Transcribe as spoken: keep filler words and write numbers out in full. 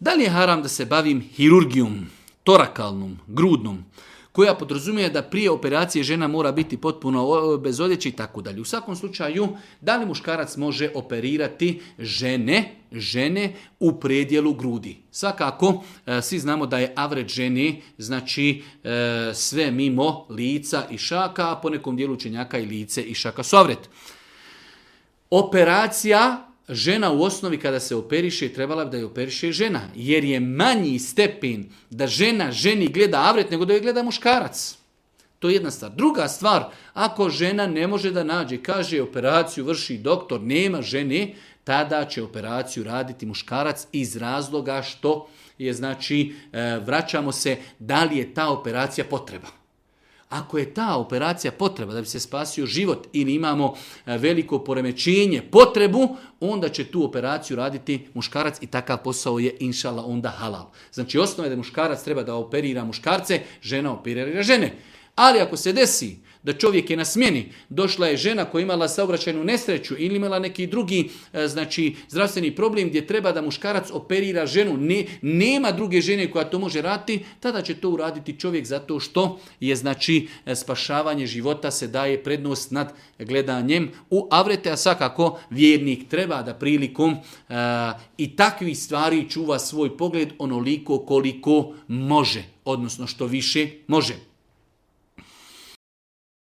Da li je haram da se bavim hirurgijom, torakalnom, grudnom, koja podrazumije da prije operacije žena mora biti potpuno bez odjeće i tako dalje. U svakom slučaju, da li muškarac može operirati žene, žene u predjelu grudi? Svakako, svi znamo da je avret žene, znači sve mimo lica i šaka, a po nekom dijelu učenjaka i lice i šaka su avret. Operacija, žena u osnovi kada se operiše, trebala bi da je operiše žena, jer je manji stepen da žena ženi gleda avret nego da je gleda muškarac. To je jedna stvar. Druga stvar, ako žena ne može da nađe, kaže operaciju vrši doktor, nema žene, tada će operaciju raditi muškarac iz razloga što je, znači, vraćamo se da li je ta operacija potreba. Ako je ta operacija potreba da bi se spasio život ili imamo veliko poremećenje, potrebu, onda će tu operaciju raditi muškarac i takav posao je inšala onda halal. Znači osnova je da muškarac treba da operira muškarce, žena operira žene. Ali ako se desi da čovjek je na smjeni, došla je žena koja je imala saobraćajnu nesreću ili imala neki drugi, znači, zdravstveni problem gdje treba da muškarac operira ženu, ne, nema druge žene koja to može raditi, tada će to uraditi čovjek zato što je, znači, spašavanje života se daje prednost nad gledanjem u avrete, a svakako vjernik treba da prilikom uh, i takvih stvari čuva svoj pogled onoliko koliko može, odnosno što više može.